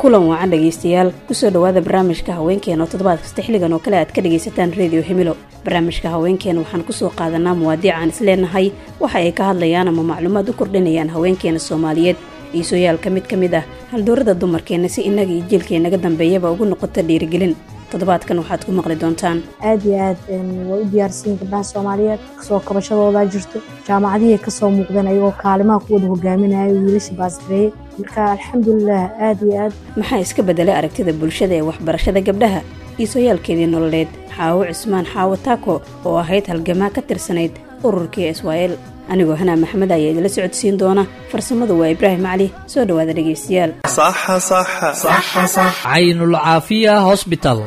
Kulan wacan dhegeystayaal, kusoo dhawaada barnaamijka haweenkeena oo toddobaad kasta xilligan oo kale aad ka dhegaysataan Reediyo Himilo. Barnaamijka haweenkeena waxaan kusoo qaadanaa muwaadiic aan isleenahay waxa ay ka hadlayaan ama macluumaad u kordhinayaan haweenkeena Soomaaliyeed iyo sooyaalka mid ka mid ah haldoorada dumarkeena, si innaga iyo jiilkeenaga dambeeyaba ugu noqota dhiirigelin. Toddobaadkan waxaad ku maqli doontaan: Aad iyo aad way u diyaarsiin gabdhaha Soomaaliyeed, kasoo kabashadoodaa jirto, jaamacadihii kasoo muuqdeen ayagoo kaalimaha ku wada hogaaminaya wiilasha baasgareeye. Marka alxamdulilah, aad iyo aad. Maxaa iska bedelay aragtida bulshada ee waxbarashada gabdhaha iyo sooyaalkeedii nololeed Xaawo Cusmaan Xaawo Taako oo ahayd halgamaa ka tirsanayd ururkii Israa'el? Anigoo Hanaa Maxamed ayaa idila socodsiin doona, farsamadu waa Ibraahim Cali. Soo dhawaada dhegaystayaal. Caynul Caafiya Hosbital.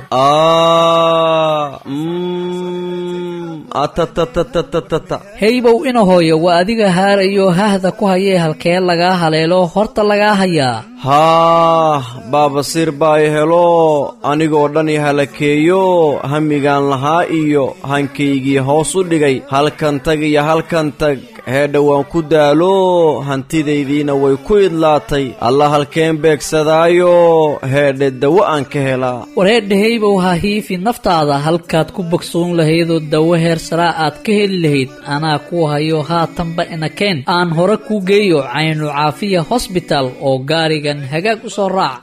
Heybow ina hooyo, waa adiga haarayo hahda ku hayee, halkee lagaa haleelo horta lagaa hayaa? Haah, baabasiir baa i helo, anigoo dhan i halakeeyo, hamigaan lahaa iyo hankaygii hoos u dhigay. Halkan tag iyo halkan tag, heedha waan ku daalo, hantidaydiina way ku idlaatay. Alla halkeen beegsadaayo heedhe dawo aan ka helaa? Wareedha heybow, ha hiifi naftaada. Halkaad ku bogsoon lahaydoo dawo heer saraa aad ka heli lahayd anaa ku hayo. Haatanba ina keen, aan hore kuu geeyo Caynu Caafiya Hosbital oo gaarigan hagaag u soo raac.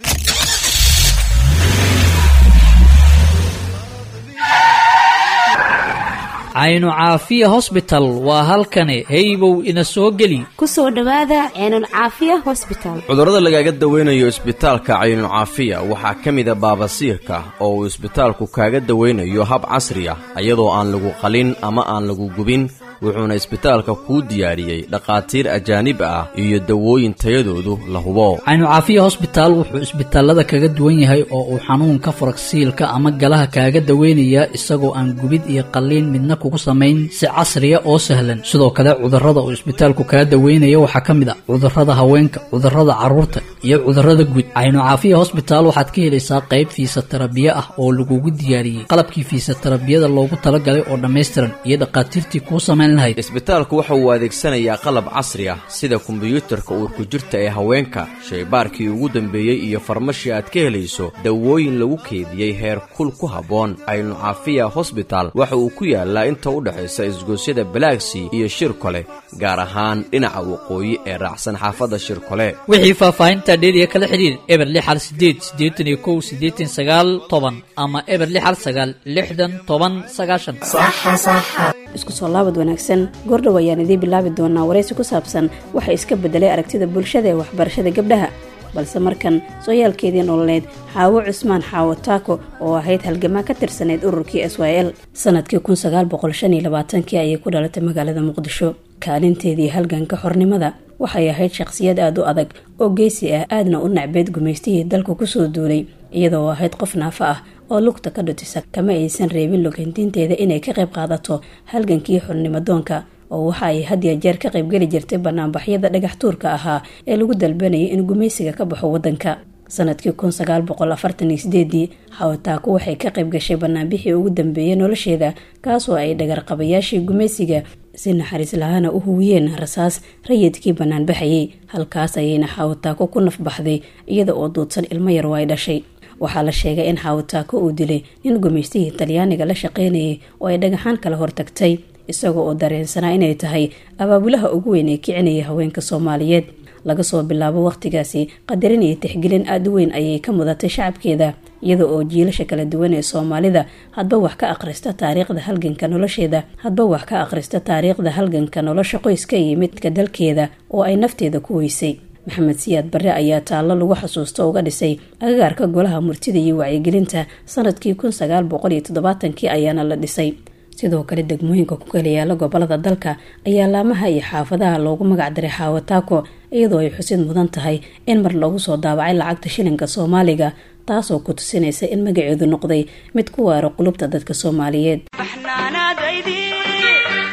Caynu Caafiya Hosbital waa halkani, heybow ina soo geli. Kusoo dhowaada Ceenul Caafiya Hosbital. Cudurrada lagaaga dawaynayo isbitaalka Caynucaafiya waxaa ka mida baabasiirka, oo uu isbitaalku kaaga dawaynayo hab casri ah, iyadoo aan lagu qalin ama aan lagu gubin. Wuxuuna isbitaalka kuu diyaariyey dhakhaatiir ajaanib ah iyo dawooyin tayadoodu la hubo. Caynu Caafiya Hosbitaal wuxuu isbitaalada kaga duwan yahay oo uu xanuunka faragsiilka ama galaha kaaga daweynayaa isagoo aan gubid iyo qalliin midna kugu samayn, si casriya oo sahlan. Sidoo kale cudurrada uu isbitaalku kaga daweynaya waxaa ka mid ah cudurrada haweenka, cudurrada carruurta iyo cudurrada guud. Caynu Caafiya Hosbitaal waxaad ka helaysaa qayb fiisatarabiye ah oo lagugu diyaariyey qalabkii fiisatarabiyada loogu talagalay oo dhammaystiran iyo dhakhaatiirtii kuu samayn. Isbitaalku waxa uu adeegsanayaa qalab casri ah sida kombiyuutarka uurku jirta ee haweenka, shaybaarkii ugu dambeeyey iyo farmashi aad ka helayso dawooyin lagu keediyey heer kul ku habboon. Caynu Caafiya Hosbital waxa uu ku yaalaa inta u dhexaysa isgoosyada Balaagsi iyo Shirkole, gaar ahaan dhinaca waqooyi ee raacsan xaafadda Shirkole. Wixii faahfaahinta dheeriya kala xidhiir 068 81 89 10 ama 0619 60 10 90. Isku soo laabad wanaagsan. Goordhow ayaan idiin bilaabi doonaa waraysi ku saabsan waxa iska bedelay aragtida bulshada ee waxbarashada gabdhaha, balse markan sooyaalkeedii nololeed Xaawo Cusmaan Xaawo Taako oo ahayd halgamaa ka tirsanayd ururkii S Y L. Sanadkii 1925-kii ayay ku dhalatay magaalada Muqdisho. Kaalinteedii halganka xornimada waxay ahayd shaqsiyad aada u adag oo geesi ah, aadna u nacbeed gumaystihii dalka kusoo duulay. Iyadoo ahayd qof naafo ah oo lugta ka dhutisa, kama aysan reebin lugantiinteeda inay ka qayb qaadato halgankii xornimadoonka, oo waxa ay had ya jeer ka qaybgeli jirtay banaanbaxyada dhagax tuurka ahaa ee lagu dalbanayay in gumaysiga ka baxo wadanka. Sanadkii 1948-dii Xawataako waxay ka qayb gashay banaanbixii ugu dambeeyay nolosheeda, kaasoo ay dhagarqabayaashii gumaysiga si naxariis lahaana u huwiyeen rasaas rayidkii banaanbaxayay. Halkaas ayayna Xawataako ku nafbaxday iyada oo duudsan ilmo yar oo ay dhashay. Waxaa la sheegay in Xawataako uu dilay nin gumaystihii Talyaaniga la shaqeynayay oo ay dhagaxaan kala hortagtay, isagoo oo dareensanaa inay tahay abaabulaha ugu weyn ee kicinaya haweenka Soomaaliyeed. Laga soo bilaabo waqtigaasi qadarin iyo tixgelin aada u weyn ayay ka mudatay shacabkeeda, iyada oo jiilasha kala duwan ee Soomaalida hadba wax ka akhrista taariikhda halganka nolosheeda, hadba wax ka akhrista taariikhda halganka nolosha qoyska iyo midka dalkeeda oo ay nafteeda ku weysay. Maxamed Siyaad Barre ayaa taallo lagu xasuusto uga dhisay agagaarka Golaha Murtida iyo Wacyigelinta sanadkii 1970-kii ayaana la dhisay. Sidoo kale degmooyinka ku kala yaala gobolada dalka ayaa laamaha iyo xaafadaha loogu magac daray Xaawataako, iyadoo ay xusid mudan tahay in mar loogu soo daabacay lacagta shilinka Soomaaliga, taasoo ku tusinaysa in magaceedu noqday mid ku waaro qulubta dadka Soomaaliyeed.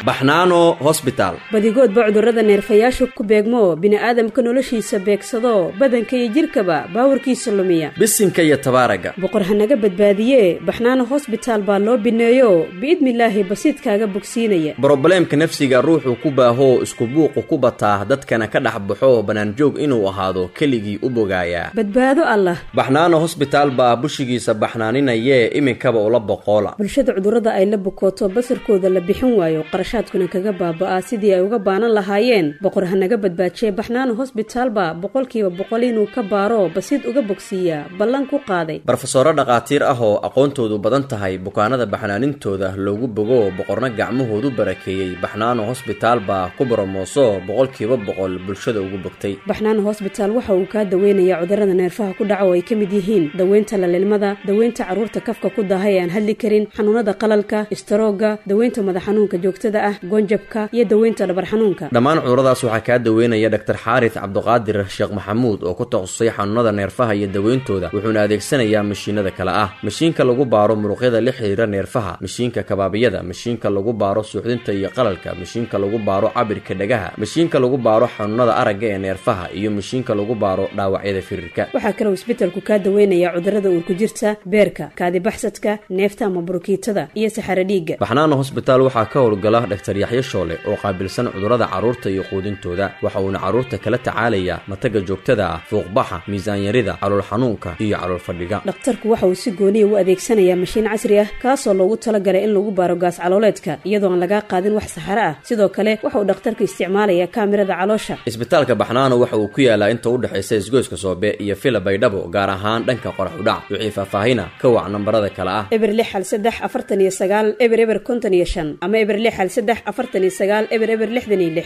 Baxnaano Hosbitaal. Badigoodba cudurrada neerfayaashu ku beegmo, bini'aadamka noloshiisa beegsado, badanka iyo jidhkaba baawarkiisa lumiya. Bisinka iyo tabaaraga. Boqor hanaga badbaadiye, Baxnaano Hosbitaal baa loo bineeyo, biidnilaahi basiidkaaga bogsiinaya. Brobleemka nafsiga ruuxuu ku baahoo, isku buuqu ku bataa, dadkana ka dhex baxo, bannaanjoog inuu ahaado keligii u bogaayaa. Badbaado Allah. Baxnaano Hosbitaal baa bushigiisa baxnaaninayee, iminkaba ula boqoola. Bulshada cudurrada ay la bukooto, basarkooda la bixin waayo, qarashaadkuna kaga baaba'aa sidii ay uga baanan lahaayeen, boqor hanaga badbaajiye, Baxnaano Hosbitaal baa 100% inuu ka baaro, basiid uga bogsiiyaa ballan ku qaaday. Barofesoro dhakhaatiir ah oo aqoontoodu badan tahay, bukaanada baxnaanintooda loogu bogo, boqorna gacmahoodu barakeeyey, Baxnaano Hosbitaal baa ku boromooso 100% bulshada ugu bogtay. Baxnaano Hosbitaal waxa uu kaa daweynayaa cudurrada neerfaha ku dhaca oo ay ka mid yihiin daweynta lalilmada, daweynta carruurta kafka ku daahay ee aan hadli karin, xanuunada qalalka, istaroogga, daweynta madax xanuunka joogtada ah, goonjabka iyo daweynta dhabar xanuunka. Dhammaan cuduradaas waxaa kaa daweynaya Dhaktar Xaaris Cabduqaadir Sheekh Maxamuud oo ku takhasusay xanuunada neerfaha iyo daweyntooda, wuxuuna adeegsanayaa mashiinada kale ah: mashiinka lagu baaro muruqyada la xiriira neerfaha, mashiinka kabaabiyada, mashiinka lagu baaro suuxdinta iyo qalalka, mashiinka lagu baaro cabirka dhagaha, mashiinka lagu baaro xanuunada aragga ee neerfaha iyo mashiinka lagu baaro dhaawacyada firirka. Waxaa kaloo isbetelku kaa daweynayaa cudurrada uurku jirta, beerka, kaadibaxsadka, neefta ama burukiitada iyo saxaro dhiigga. Baxnaano Hosbitaal waxaa ka howlgala Dhaktar Yaxyo Shoole oo qaabilsan cudurrada carruurta iyo quudintooda. Waxa uuna carruurta kala tacaalayaa mataga joogtada ah, fuuqbaxa, miisaanyarida, calool xanuunka iyo calool fadhiga. Dhakhtarku waxa uu si gooniya u adeegsanayaa mashiin casri ah, kaasoo loogu talagalay in lagu baaro gaas calooleedka, iyadoo aan lagaa qaadin wax saxaro ah. Sidoo kale waxa uu dhakhtarku isticmaalayaa kaamirada caloosha. Isbitaalka Baxnaano waxa uu ku yaalaa inta u dhexaysa isgoyska Soobe iyo Fila Baydhabo, gaar ahaan dhanka qorax udhac. Wixii faahfaahina ka wac nambarada kale ah: 0613490055 ama 0613490066.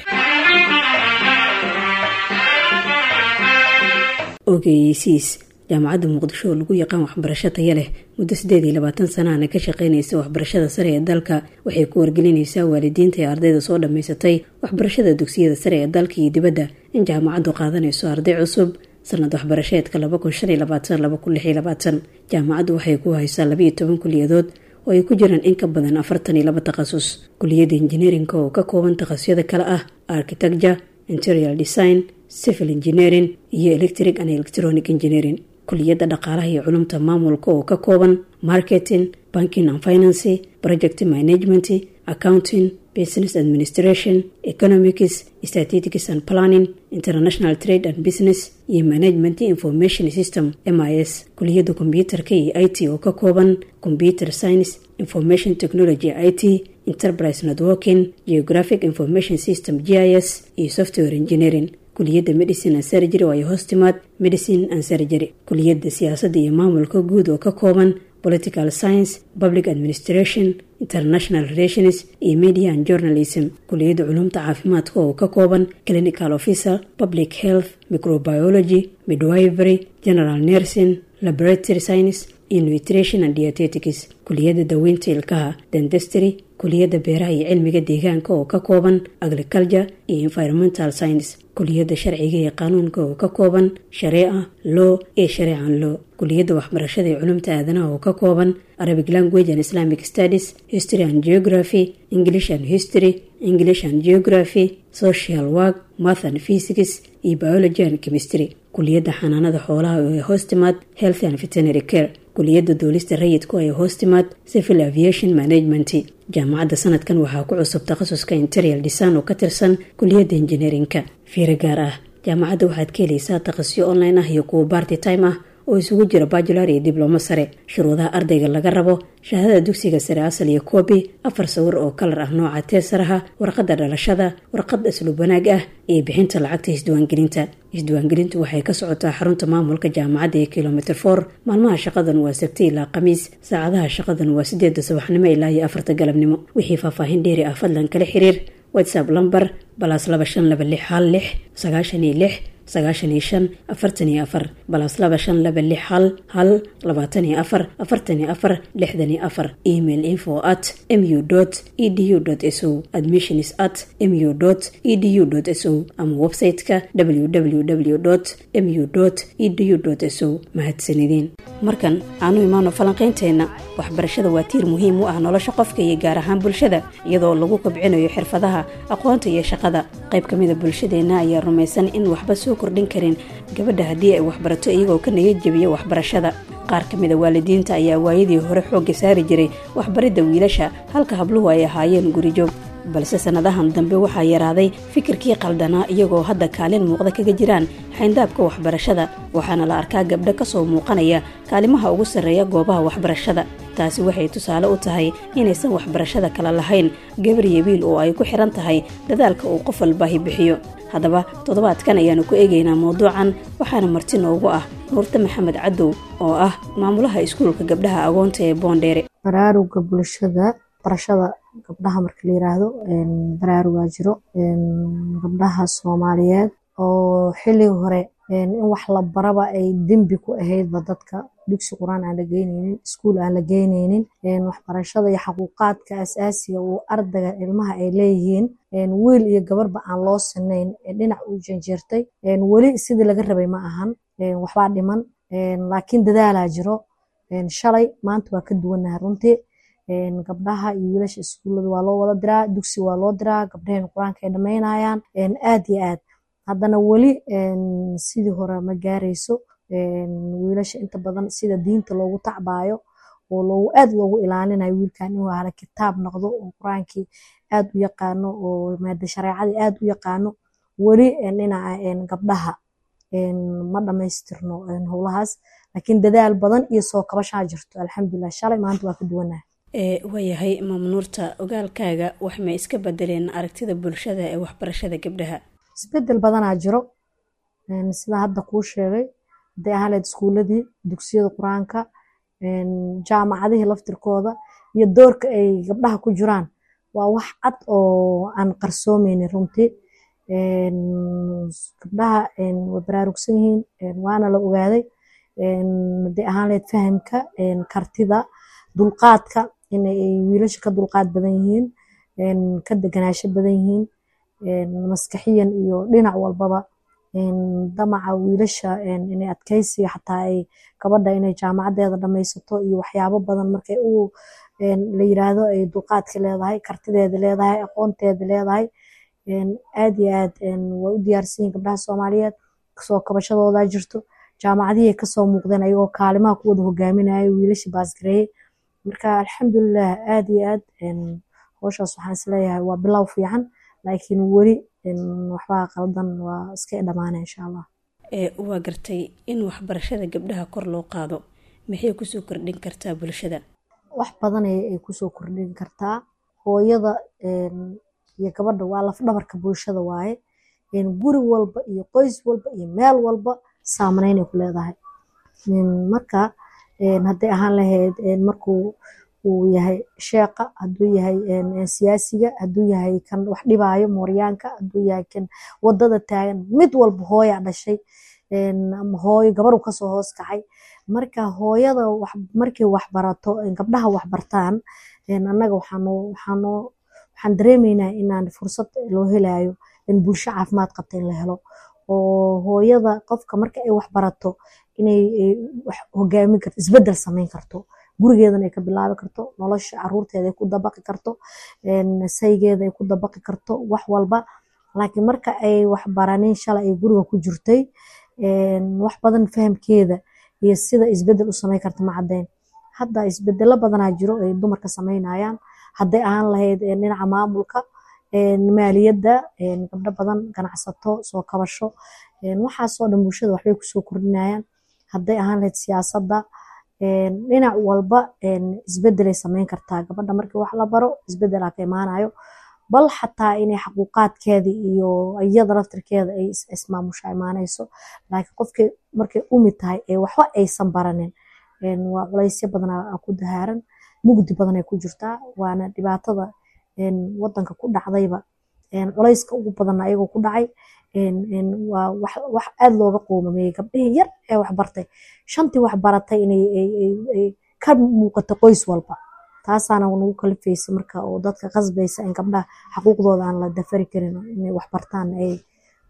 Ogeysiis: Jaamacadda Muqdisho oo lagu yaqaan waxbarasho taya leh, muddo 28 sanahana ka shaqeynaysa waxbarashada sare ee dalka, waxay ku wargelinaysaa waalidiinta ee ardayda soo dhammaysatay waxbarashada dugsiyada sare ee dalka iyo dibadda in jaamacaddu qaadanayso arday cusub sanad waxbarasheedka 2025/2026. Jaamacaddu waxay ku haysaa 12 kuliyadood oo ay ku jiraan in ka badan 42 takhasus. Kuliyadda injineerinka oo ka kooban takhasusyada kale ah architecture, interior design, civil engineering iyo electric and electronic engineering. Kuliyadda dhaqaalaha iyo culumta maamulka oo ka kooban marketing, banking and finance, project management, accounting, business administration, economics, statistics and planning, international trade and business iyo management information system, MIS. Kuliyadda kombyuutarka iyo IT oo ka kooban computer science, information technology, IT, enterprise networking, geographic information system, GIS iyo software engineering. Kuliyadda medicine and surgery oo ay hoos timaad medicine and surgery. Kuliyadda siyaasadda iyo maamulka guud oo ka kooban political science, public administration, international relations iyo media and journalism. Kuliyadda culumta caafimaadka oo ka kooban clinical officer, public health, microbiology, midwifery, general nursing, laboratory science iyo nutrition and dietetics. Kuliyadda daweynta ilkaha, dentistry. Kuliyadda beeraha iyo cilmiga deegaanka oo ka kooban agriculture iyo environmental science. Kuliyadda sharciga iyo qanuunka oo ka kooban shareeca law iyo shareecan law. Kuliyadda waxbarashada iyo culumta aadanaha oo ka kooban Arabic language and Islamic studies, history and geography, English and history, English and geography, social work, math and physics iyo biology and chemistry. Kuliyadda xanaanada xoolaha oo ay hoos timaad health and veterinary care. Kuliyadda duulista rayidku ay hoos timaad civil aviation management. Jaamacadda sanadkan waxaa ku cusub takhasuska interior design oo ka tirsan kuliyadda injineerinka. Fiiro gaar ah: jaamacadda waxaad ka helaysaa takhasusyo online ah iyo kuwa part time ah oo isugu jira bachelor iyo diblomo sare. Shuruudaha ardayga laga rabo: shahaadada dugsiga sare asal iyo koobi, afar sawir oo kalar ah nooca teesaraha, warqadda dhalashada, warqad asluub wanaag ah iyo bixinta lacagta isdiiwaangelinta. Isdiiwaangelintu waxay ka socotaa xarunta maamulka jaamacadda ee kilomitr 4. Maalmaha shaqadan waa Sabti ilaa Khamiis. Saacadaha shaqadan waa 8da subaxnimo ilaa iyo 4ta galabnimo. Wixii faahfaahin dheeri ah fadlan kala xiriir WhatsApp lambar +25261 696 95 44, +25261 11 24 44 64. Email info@mu.edu.so, admissions@mu.edu.so ama website-ka www.mu.edu.so. Mahadsanideen. Markan aanu imaano falanqaynteenna. Waxbarashada waa tiir muhiim u ah nolosha qofka iyo gaar ahaan bulshada, iyadoo lagu kobcinayo xirfadaha, aqoonta iyo shaqada. Qayb ka mida bulshadeenna ayaa rumaysan in waxba soo kordhin karin gabadha haddii ay waxbarato, iyagoo ka niyad jebiya waxbarashada. Qaar ka mida waalidiinta ayaa waayadii hore xoogga saari jiray waxbaridda wiilasha, halka habluhu ay ahaayeen gurijoog. Balse sannadahan dambe waxaa yaraaday fikirkii qaldanaa, iyagoo hadda kaalin muuqda kaga jiraan xayndaabka waxbarashada, waxaana la arkaa gabdho ka soo muuqanaya kaalimaha ugu sarreeya goobaha waxbarashada. Taasi waxay tusaale u tahay inaysan waxbarashada kala lahayn gabar iyo wiil, oo ay ku xiran tahay dadaalka uu qof walbaahi bixiyo. Haddaba toddobaadkan ayaanu ku eegaynaa mawduucan, waxaana marti noogu ah Nuurte Maxamed Cadow oo ah maamulaha iskuulka gabdhaha agoonta ee Boondheere. Baraaruga bulshada barashada gabdhaha marka la yiraahdo, baraarugaa jiro. Gabdhaha Soomaaliyeed oo xilligii hore in wax la baraba ay dembi ku ahaydba, dadka dugsi Qur-aan aan la geyneynin, iskuul aan la geyneynin, waxbarashada iyo xaquuqaadka asaasiga uu ardayga ilmaha ay leeyihiin wiil iyo gabarba aan loo sinayn, dhinac u janjeertay, weli sidii laga rabay ma ahan, waxbaa dhiman, laakiin dadaalaa jiro. Shalay maanta waa ka duwanahay runtii. Gabdhaha iyo wiilasha iskuullada waa loo wada diraa, dugsi waa loo diraa, gabdhaheen Qur-aanka ay dhamaynayaan aad iyo aad. Haddana weli sidii hore ma gaarayso. Wiilasha inta badan sida diinta loogu tacbaayo oo loogu aad loogu ilaalinayo wiilkan inuu ahla kitaab noqdo oo Qur-aankii aad u yaqaano oo maada shareecadii aad u yaqaano, weli dhinaca gabdhaha ma dhamaystirno howlahaas, laakiin dadaal badan iyo soo kabashaa jirto, alxamdulilah. Shalay maanta waa ka duwanahay. Waayahay Maamnuurta, ogaalkaaga wax may iska bedeleen aragtida bulshada ee waxbarashada gabdhaha? Isbedel badanaa jiro sida hadda kuu sheegay, hadday ahaan lahayd iskuuladii, dugsiyada Qur-aanka, jaamacadihii laftirkooda iyo doorka ay gabdhaha ku jiraan waa wax cad oo aan qarsoomeynin runtii. Gabdhaha way baraarugsan yihiin, waana la ogaaday, hadday ahaan lahayd fahamka, kartida, dulqaadka, inay wiilasha ka dulqaad badan yihiin, ka deganaansho badan yihiin, maskaxiyan iyo dhinac walbaba. Damaca wiilasha inay adkaysiga xataa ay gabadha inay jaamacadeeda dhamaysato iyo waxyaabo badan markay u la yiraahdo ay dulqaadka leedahay, kartideeda leedahay, aqoonteeda leedahay, aad iyo aad way u diyaarsan yihiin gabdhaha Soomaaliyeed. Soo kabashadooda jirto, jaamacadihii kasoo muuqdeen ayagoo kaalimaha ku wada hogaaminayo wiilasha baasgareeyey. Marka alxamdulilah, aad iyo aad howshaas waxaan isleeyahay waa bilow fiican, laakiin weli waxbaa qaldan, waa iska dhamaanay insha Allah. Waa gartay. In waxbarashada gabdhaha kor loo qaado maxay kusoo kordhin kartaa bulshada? Wax badan ay kusoo kordhin kartaa. Hooyada iyo gabadha waa lafdhabarka bulshada waaye. Guri walba iyo qoys walba iyo meel walba saameyn ay ku leedahay. Marka hadday ahaan lahayd markuu uu yahay sheeqa, hadduu yahay siyaasiga, hadduu yahay kan wax dhibaayo mooryaanka, hadduu yahay kan wadada taagan, mid walba hooyaa dhashay ama hooyo gabaru kasoo hoos kacay. Marka hooyada markay wax barato, gabdhaha wax bartaan, annaga waxaan dareemeynaa inaan fursad loo helayo in bulsho caafimaad qabta in la helo, oo hooyada qofka marka ay wax barato inay wax hogaamin karto, isbedel sameyn karto, gurigeedana ay ka bilaabi karto, nolosha caruurteeda ay ku dabaqi karto, saygeeda ay ku dabaqi karto wax walba. Laakiin marka ay wax baranin, shalay ay guriga ku jirtay, wax badan fahamkeeda iyo sida isbedel u sameyn karta ma caddeyn. Hadda isbedelo badanaa jiro ay dumarka sameynayaan, hadday ahaan lahayd dhinaca maamulka, maaliyadda, gabdho badan ganacsato, soo kabasho, waxaasoo dhan bulshada waxbay kusoo kordhinayaan. Hadday ahaan lahayd siyaasadda, dhinac walba isbedelay sameyn kartaa gabadha markii wax la baro, isbedelaa ka imaanayo, bal xataa inay xaquuqaadkeeda iyo iyada laftirkeeda ay ismaamusha imaanayso. Laakiin qofkii markay umi tahay ee waxba aysan baranin, waa culaysyo badan ku dahaaran, mugdi badan ay ku jirtaa, waana dhibaatada wadanka ku dhacdayba. Culayska ugu badanna ayagoo ku dhacay waa wax aad looga qoomameeyey gabdhihii yar ee waxbartay, shantii waxbaratay inay ka muuqato qoys walba. Taasaana nagu kalifaysa marka oo dadka qasbaysa in gabdhaha xaquuqdooda aan la dafari karin inay waxbartaan ay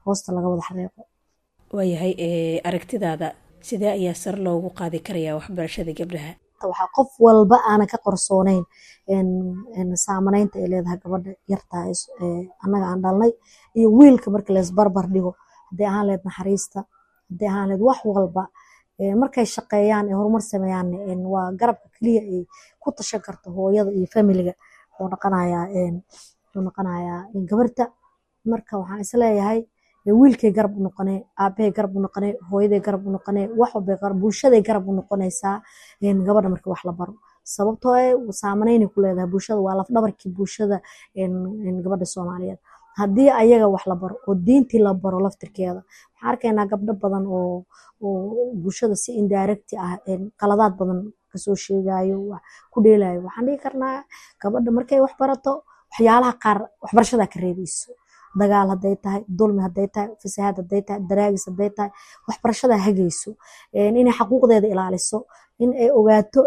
hoosta laga wada xareeqo. Waayahay, aragtidaada Sidee ayaa sare loogu qaadi karayaa waxbarashada gabdhaha? Waxaa qof walba aanan ka qarsoonayn saamaneynta ay leedahay gabadha yartaa annaga aan dhalnay iyo wiilka marka laysbarbar dhigo, hadday ahaan lahayd naxariista, hadday ahaan lahayd wax walba. Markay shaqeeyaan ee horumar sameeyaan, waa garabka keliya ay ku tashan karto hooyada iyo familiga wuxuu noqonayaa gabarta. Marka waxaan isleeyahay wiilkay garab u noqonee, aabahay garab u noqonee, hooyaday garab u noqonee, wax walbay bulshaday garab u noqonaysaa gabadha marka wax la baro, sababtoo eh saamaneynay ku leedahay bulshada. Waa lafdhabarkii bulshada gabadha Soomaaliyeed. Haddii ayaga wax la baro oo diintii la baro laftirkeeda, waxaan arkaynaa gabdho badan oo bulshada si indirect ah qaladaad badan kasoo sheegayo, wax ku dheelayo. Waxaan dhihi karnaa gabadha markay wax barato, waxyaalaha qaar waxbarashadaa ka reebayso. Dagaal hadday tahay, dulmi hadday tahay, fasahaad hadday tahay, daraagis hadday tahay, waxbarashadaa hagayso inay xaquuqdeeda ilaaliso, in ay ogaato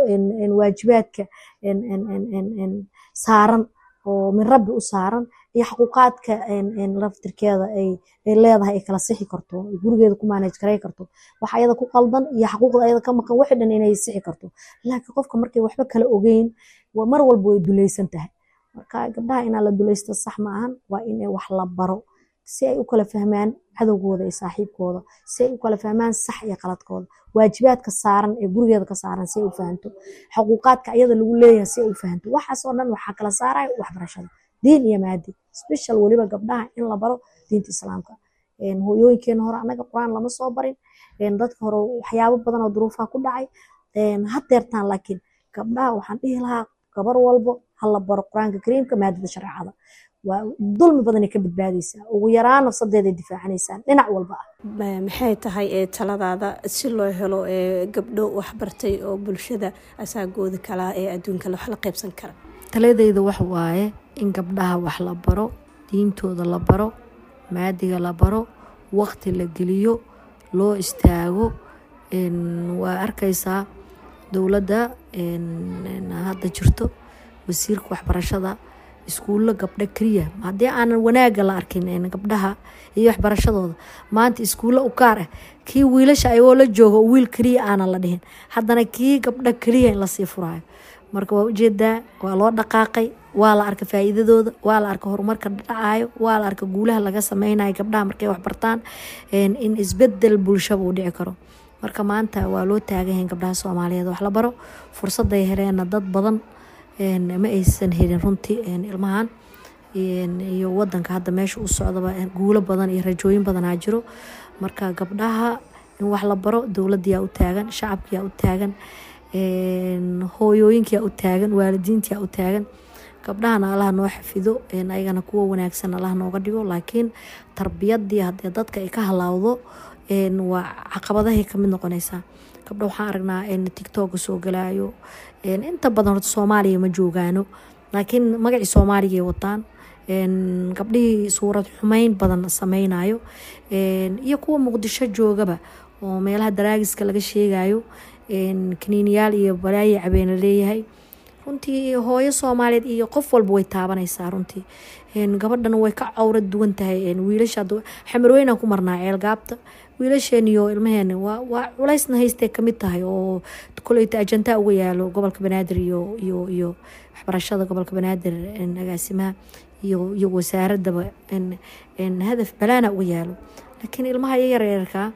waajibaadka saaran oo min Rabbi u saaran iyo xaquuqaadka laftirkeeda ay leedahay, ay kala sixi karto, gurigeeda ku manage garay karto, wax ayada ku qaldan iyo xaquuqda ayada ka maqan, wixii dhan inay sixi karto. Laakiin qofka markay waxba kala ogeyn, mar walba way dulaysan tahay. Marka gabdhaha inaa la dulaysto sax ma ahan. Waa in wax la baro si ay u kala fahmaan cadowgooda iyo saaxiibkooda, si ay u kala fahmaan sax iyo qaladkooda, waajibaadka saaran ee gurigeeda ka saaran si ay u fahanto, xuquuqaadka ayada lagu leeyahay si ay u fahanto. Waxaas oo dhan waxaa kala saaraya waxbarashada diin iyo maadi, special weliba gabdhaha in la baro diinta Islaamka. Hooyooyinkeena hore annaga Qur-aan lama soo barin, dadka hore waxyaabo badan oo duruufaha ku dhacay hadeertaan. Laakiin gabdhaha waxaan dhihi lahaa, gabar walbo hala baro Qur-aanka Kariimka, maadada shareecada. Waa dulmi badanay ka badbaadaysaa, ugu yaraan nafsadeeday difaacanaysaa dhinac walba ah. Maxay tahay ee taladaada si loo helo gabdho waxbartay oo bulshada asaagooda kalaa ee adduunka wax la qaybsan kara? Taladayda wax waaye in gabdhaha wax la baro, diintooda la baro, maadiga la baro, waqti la geliyo, loo istaago. Waa arkaysaa dowladda hadda jirto, wasiirka waxbarashada, iskuullo gabdho keliya. Haddii aanan wanaagga la arkin gabdhaha iyo waxbarashadooda, maanta iskuullo u gaar ah, kii wiilasha ayagoo la joogo wiil keliya aanan la dhihin, haddana kii gabdho keliya in lasii furaayo. Marka waa ujeedaa, waa loo dhaqaaqay, waa la arka faa'iidadooda, waa la arka horumarka dhacayo, waa la arka guulaha laga sameynayo gabdhaha markay waxbartaan, in isbedel bulshaba uu dhici karo. Marka maanta waa loo taagan yahay gabdhaha Soomaaliyeed wax la baro. Fursaday heleenna dad badan ma aysan helin runtii. Ilmahan iyo wadanka hadda meesha u socdaba guulo badan iyo rajooyin badanaa jiro. Marka gabdhaha in wax la baro, dowladayaa u taagan, shacabkiyaa u taagan, hooyooyinkiyaa u taagan, waalidiintiyaa u taagan. Gabdhahana Allaha noo xafido, ayagana kuwa wanaagsan Allaha nooga dhigo. Laakiin tarbiyadii haddii dadka ay ka halaawdo, waa caqabadahay kamid noqonaysaa. Gabdho waxaan aragnaa TikToka soo galaayo. Inta badan horta Soomaaliya ma joogaano, laakiin magacii Soomaaliga ay wataan. Gabdhihii suurad xumeyn badan sameynayo iyo kuwa Muqdisho joogaba oo meelaha daraagiska laga sheegayo, kaniiniyaal iyo balaayi cabeena leeyahay. Runtii hooyo Soomaaliyeed iyo qof walba way taabanaysaa. Runtii gabadhana way ka cawrad duwan tahay wiilasha. Xamarweynaan ku marnaa Ceelgaabta, wiilasheen iyo ilmaheena waa culaysna haystay kamid tahay, oo koleyta ajantaa uga yaalo gobolka Banaadir iyo waxbarashada gobolka Banaadir, agaasimaha iyo wasaaradaba hadaf balaana uga yaalo. Laakiin ilmaha yaryarka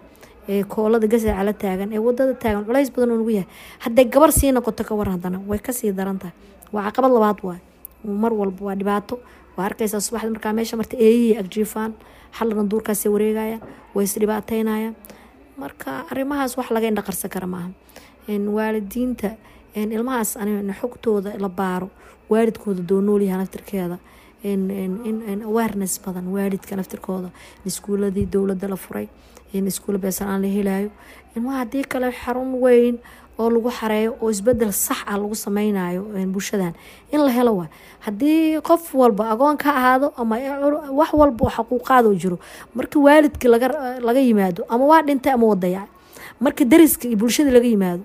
ee koolada gasaca la taagan ee wadada taagan, culays badan oo nagu yahay. Hadday gabar sii noqoto, ka waran? Haddana way kasii daran tahay, waa caqabad labaad. Waay mar walba waa dhibaato. Waa arkaysaa subaxda markaa meesha marta, eeyihii agjiifaan, xalana duurkaasay wareegayaan, way isdhibaateynayaan. Marka arrimahaas wax laga indhaqarsan kara maaha. Waalidiinta ilmahaas xogtooda la baaro, waalidkooda doonoolyaha naftirkeeda, awareness badan waalidka naftirkooda, iskuuladii dowladda la furay, iskuula beesan aan la helayo ilmaha. Haddii kale xarun weyn oo lagu xareeyo oo isbedel sax ah lagu sameynayo bulshadan in la helo waa haddii qof walba agoon ka ahaado ama wax walba oo xaquuqaad oo jiro. Markii waalidkii laga yimaado, ama waa dhintay ama waa dayacay. Markii dariska iyo bulshada laga yimaado,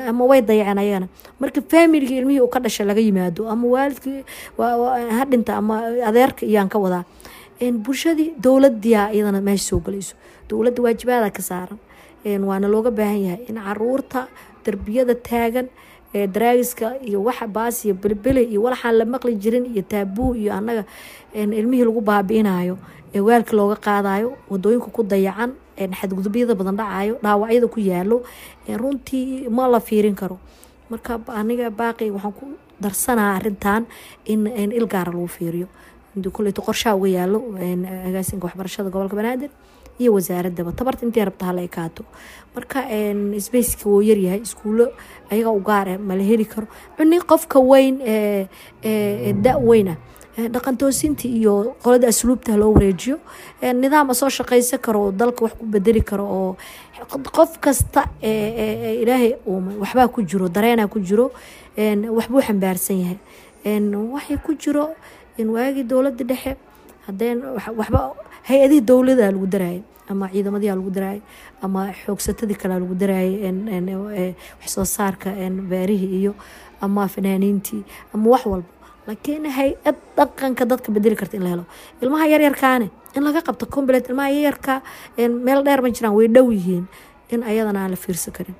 ama way dayaceen ayagana. Marka faamiliga ilmihii uu ka dhashay laga yimaado, ama waalidkii ha dhinta ama adeerka iyaan ka wadaa, bulshadii, dowladiyaa iyadana meesha soo galayso. Dowladda waajibaada ka saaran. Waana looga baahan yahay in caruurta darbiyada taagan ee daraagiska iyo waxa baas iyo belbele iyo walaxaan la maqli jirin iyo taabuu iyo annaga ilmihii lagu baabi'inayo, ee waalka looga qaadayo, wadooyinka ku dayacan, xadgudubyada badan dhacayo, dhaawacyada ku yaalo, runtii ma la fiirin karo. Marka aniga baaqi waxaan ku darsanaa arintan in il gaara lagu fiiriyo. Koleyto qorshaha uga yaalo agaasinka waxbarashada gobolka Banaadir iyo wasaaradaba, tabarta intay rabta hala ekaato. Marka spaceka wuu yaryahay, iskuulo ayaga u gaar ah mala heli karo. Cuni qofka weyn ee da weyn ah, dhaqan toosinta iyo qolada asluubta loo wareejiyo, nidaam soo shaqaysan karo oo dalka wax ku bedeli karo, oo qof kasta Ilaahay waxbaa ku jiro, dareenaa ku jiro, waxbuu xambaarsan yahay, waxay ku jiro. Waagii dowladda dhexe hadeen waxba hay-adihii dowlada lagu daraayay ama ciidamadii lagu daraayay ama xoogsatadii kale lagu daraayay, wax soo saarka beerihii iyo ama fanaaniintii ama wax walba, laakiin hay-ad dhaqanka dadka bedeli karta in la helo. Ilmaha yaryarkaane in laga qabto complete, ilmaha yaryarka meel dheer ma jiraan, way dhow yihiin, in ayadana aan la fiirsan karin.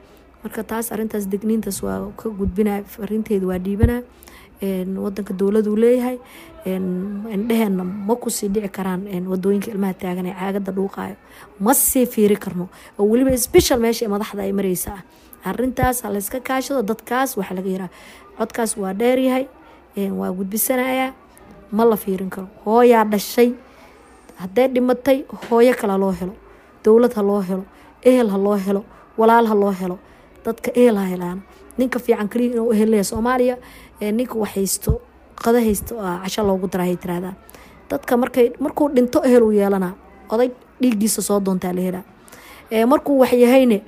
Marka taas arintaas degniintaas waa ka gudbina, farinteeda waa dhiibana. Wadanka dowladuu leeyahay, indheheena ma kusii dhici karaan wadooyinka ilmaha taagan ee caagada dhuuqaayo, ma sii fiiri karno, oo weliba special meesha madaxda ay mareysa ah. Arintaas ha layska kaashado. Dadkaas waxaa laga yaraa codkaas waa dheeryahay, waa gudbisanayaa, ma la fiirin karo. Hooyaa dhashay hadday dhimatay, hooyo kale ha loo helo, dowlad ha loo helo, ehel ha loo helo, walaal ha loo helo, dadka ehel ha helaan. Ninka fiican kaliya inuu ehel leeyahay Soomaaliya, ninka wax haysto, qada haysto, casho loogu daraa tiraahdaa. Dadka markay markuu dhinto ehel uu yeelanaa, oday dhiiggiisa soo doontaa la helaa. Markuu wax yahayne,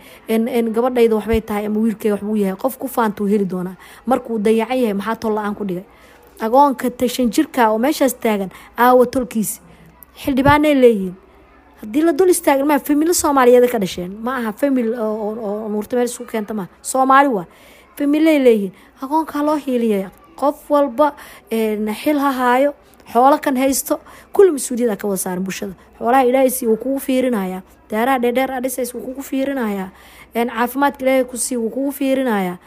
gabadhayda waxbay tahay ama wiilkeyga waxbuu yahay, qof ku faantuu heli doonaa. Markuu dayacan yahay, maxaa tol la-aan ku dhigay? Agoonka tashan jirka oo meeshaas taagan, aawa tolkiisi? Xildhibaanay leeyihiin. Haddii la dul istaaga ilmaha, familo Soomaaliyeed ka dhasheen, ma aha famil oo nuurta meel isku keenta maaha, Soomaali waa familay leeyihiin. Agoonka loo hiiliyaya, qof walba xil ha haayo, xoolo kan haysto, kulli mas-uuliyada ka wada saaran bulshada. Xoolaha Ilaahay sii wuu kugu fiirinayaa, daaraha dheerdheer aa dhisays wuu kugu fiirinayaa, caafimaadka Ilaahay ku sii wuu kugu fiirinayaa.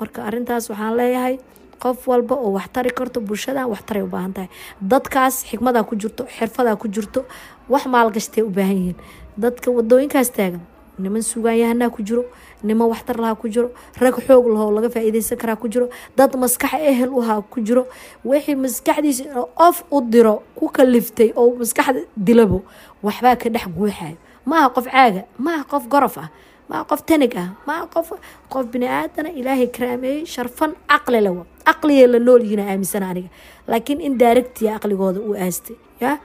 Marka arintaas waxaan leeyahay, qof walba oo wax tari karto bulshada, wax taray u baahan tahay. Dadkaas xikmadaa ku jirto, xirfadaa ku jirto, wax maalgashtay u baahan yihiin. Dadka wadooyinkaas taagan, niman sugaanyahanaa ku jiro, niman waxtar lahaa ku jiro, rag xoog lahoo laga faa-iideysan karaa ku jiro, dad maskax ehel uhaa ku jiro. Wixii maskaxdiisa inuu off u diro ku kaliftay oo maskaxda dilabo, waxbaa ka dhex guuxayo. Ma aha qof caaga, ma aha qof gorof ah, ma aha qof tanig ah, ma aha qof bini aadana Ilaahay karaameeyey, sharfan, caqli lewa, caqligay la nool yihiin aaminsana aniga, laakiin in daaragtiya caqligooda uu aastay ya.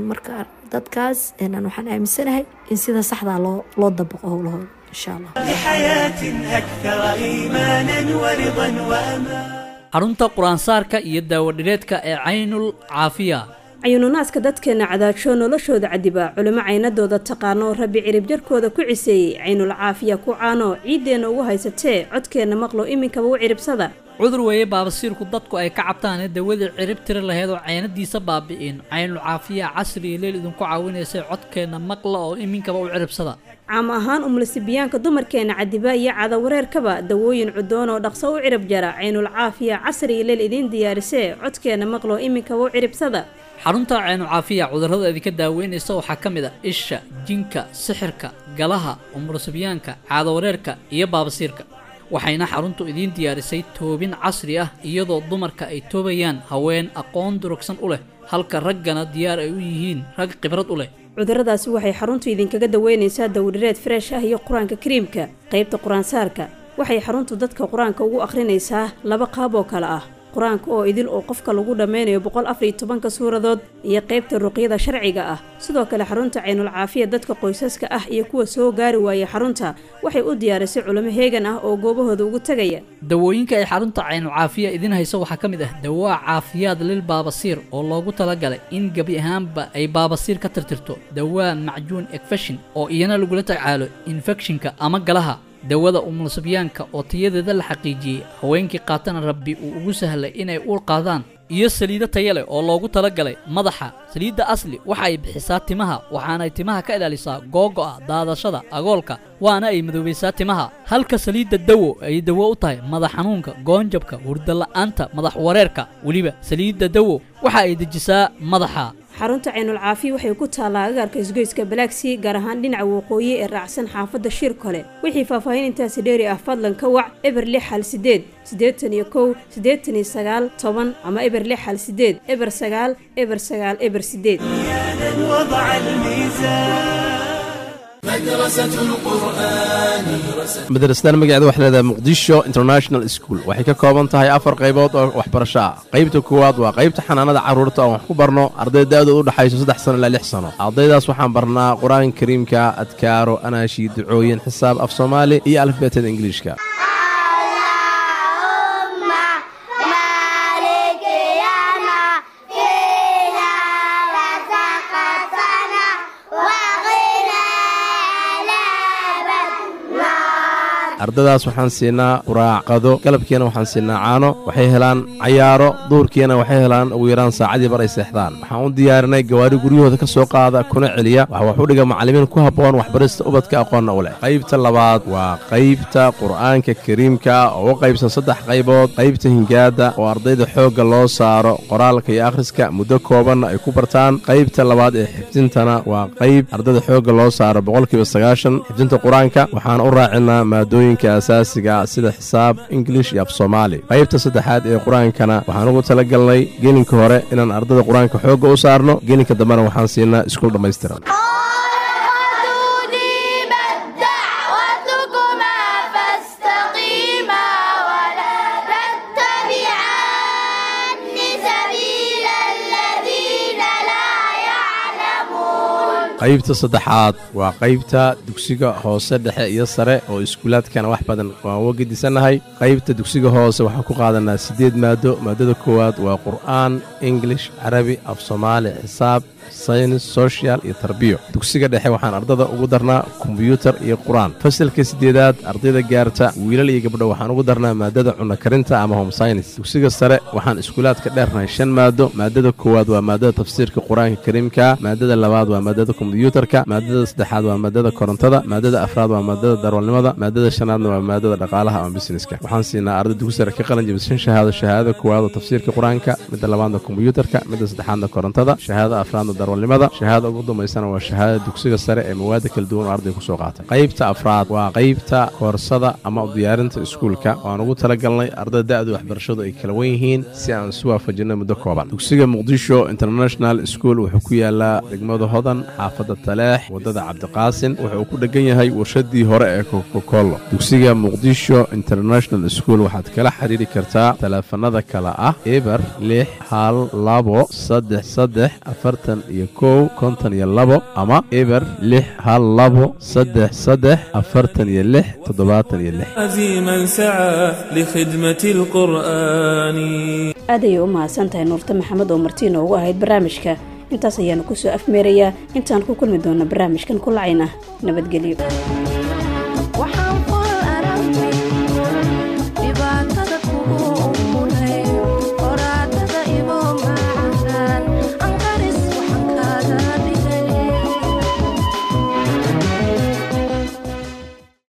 Marka dadkaas waxaan aaminsanahay in sida saxdaa loo dabaqo howlahooda, insha Allah. لحياة أكثر إيمانا ورضا وأمان. Xarunta qur-aansaarka iyo daawadhireedka ee Caynul Caafiya. Cayununaaska dadkeena cadaajoo noloshooda cadiba, culimo caynadooda taqaano, Rabbi ciribjarkooda ku ciseeyey, Caynul Caafiya ku caano, ciiddeenna ugu haysatee, codkeenna maqlo, iminkaba u ciribsada. Cudur weeye baabasiirku dadku ay ka cabtaane, dawadii cirib tiri lahayd oo caynadiisa baabi'in, Caynul Caafiya casri iyo leel idinku caawinaysay. Codkeenna maqla oo iminkaba u ciribsada. Caam ahaan umlisibiyaanka dumarkeena cadiba iyo cadawareerkaba, dawooyin cudoon oo dhaqso u cirib jara, Caynul Caafiya casri iyo leel idiin diyaarisee, codkeenna maqlo, iminkaba u ciribsada. Xarunta Caynu Caafiya cudurrada idinka daaweynaysa waxaa ka mid a isha, jinka, sixirka, galaha, umursibyaanka, caadawareerka iyo baabasiirka. Waxayna xaruntu idiin diyaarisay toobin casri ah, iyadoo dumarka ay toobayaan haween aqoon durugsan u leh, halka raggana diyaar ay u yihiin rag khibrad u leh. Cudurradaasi waxay xaruntu idinkaga daweynaysaa dawdhireed fresh ah iyo Qur-aanka Kariimka. Qaybta qur-aansaarka waxay xaruntu dadka qur-aanka ugu akhrinaysaa laba qaab oo kale ah: qur-aanka oo idil oo qofka lagu dhammeynayo 114-ka suuradood iyo qaybta ruqyada sharciga ah. Sidoo kale xarunta Caynul Caafiya dadka qoysaska ah iyo kuwa soo gaari waayay xarunta waxay u diyaarisay culimo heegan ah oo goobahooda ugu tegaya. Dawooyinka ay xarunta Caynu Caafiya idiin hayso waxaa ka mid ah dawaa caafiyaad lil baabasiir oo loogu talagalay in gebi ahaanba ay baabasiir ka tirtirto, dawaa macjuun ekfashin oo iyana lagula tacaalo infekshinka ama galaha, dawada umulusibyaanka oo tayadeeda la xaqiijiyey, haweenkii qaatana Rabbi uu ugu sahlay inay uur qaadaan. Iyo saliido taya leh oo loogu talagalay madaxa. Saliidda Asli waxa ay bixisaa timaha, waxaanay timaha ka ilaalisaa googo'a, daadashada, agoolka, waana ay madoobaysaa timaha, halka saliidda Dawo ay dawo u tahay madax xanuunka, goonjabka, hurdala'aanta, madax wareerka. Weliba saliidda Dawo waxa ay dejisaa madaxa. Xarunta Caynul Caafiya waxay ku taallaa agaarka isgoyska Balaagsii, gaar ahaan dhinaca waqooyi ee raacsan xaafadda Shir Kole. Wixii faahfaahin intaasi dheeri ah, fadlan ka wac 0618 81 89 10 ama 0618 09 09 08. وضع الميزان. Madrasadan magaceeda waxay leedahay Muqdisho International School. Waxay ka kooban tahay afar qaybood oo waxbarasho ah. Qaybta koowaad waa qaybta xanaanada carruurta oo wax ku barno arday da'doodu u dhaxayso 3 sano ilaa 6 sano. Ardaydaas waxaan barnaa Qur-aanka Kariimka, adkaaro, anaashi, ducooyin, xisaab, af Soomaali iyo alifbeetada Ingiliishka. Ardadaas waxaan siinaa quraac, qado, galabkiina waxaan siinaa caano. Waxay helaan cayaaro, duurkiina waxay helaan ugu yaraan saacadii bar ay seexdaan. Waxaan u diyaarinay gawaari guryahooda ka soo qaada kuna celiya. Waxa wax u dhiga macallimiin ku habboon waxbarista ubadka, aqoonna u leh. Qaybta labaad waa qaybta Qur'aanka Kariimka oo u qaybsan saddex qaybood: qaybta hingaada oo ardayda xoogga loo saaro qoraalka iyo akhriska, muddo koobanna ay ku bartaan; qaybta labaad ee xifdintana waa qayb ardayda xoogga loo saaro 90% xifdinta Qur-aanka, waxaan u raacinaa maadooyinka asaasiga sida xisaab, Ingilish iyo af Soomaali; qaybta saddexaad ee Qur-aankana waxaan ugu talagalnay gelinka hore inaan ardayda Qur-aanka xoogga u saarno, gelinka dambena waxaan siinaa iskuul dhammaystiran. أجيبت دعوتكما فاستقيما ولا تتبعان سبيل الذين لا يعلمون. Qaybta saddexaad waa qaybta dugsiga hoose, dhexe iyo sare oo iskuulaadkana wax badan waan uga gedisannahay. Qaybta dugsiga hoose waxaan ku qaadanaa siddeed maado. Maadada koowaad waa Qur'aan, English, Carabi, af Soomaali, xisaab, saynis, social iyo tarbiyo. Dugsiga dhexe waxaan ardada ugu darnaa kombyuutar iyo Qur-aan. Fasalka sideedaad ardayda gaarta, wiilal iyo gabdho, waxaan ugu darnaa maadada cunno karinta ama home science. Dugsiga sare waxaan iskuulaadka dheernahay shan maado. Maadada koowaad waa maadada tafsiirka Qur-aanka Kariimka, maadada labaad waa maadada kombyuutarka, maadada saddexaad waa maadada korontada, maadada afraad waa maadada darwalnimada, maadada shanaadna waa maadada dhaqaalaha ama businesska. Waxaan siinaa arday dugsi sare ka qalin jabisay shan shahaado: shahaadada koowaad oo tafsiirka Qur-aanka, midda labaadna kombyuutarka, midda saddexaadna korontada, shahaadada afraadna darwalnimada, shahaada ugu dambaysana waa shahaadada dugsiga sare ee mawaada kala duwan oo arday kusoo qaatay. Qaybta afraad waa qaybta koorsada ama u diyaarinta iskuulka oo aan ugu talagalnay ardayda da'du waxbarashadu ay kala wen yihiin si aan isu waafajinno muddo kooban. Dugsiga Muqdisho International School wuxuu ku yaalaa degmada Hodan, xaafadda Taleex, waddada Cabdiqaasin. Wuxuu ku dhegan yahay warshadii hore ee Coca-Cola. Dugsiga Muqdisho International School waxaad kala xiriiri kartaa taleefanada kale ah 0612 33 41 52 ama 0612 33 46 76. عزيما سعى لخدمة القرآن. Aad ayay u mahadsan tahay Nuurta Maxamed oo marti inoogu ahayd barnaamijka. Intaas ayaanu kusoo afmeerayaa. Intaan ku kulmi doona barnaamijkan ku lacayna, nabadgelyo.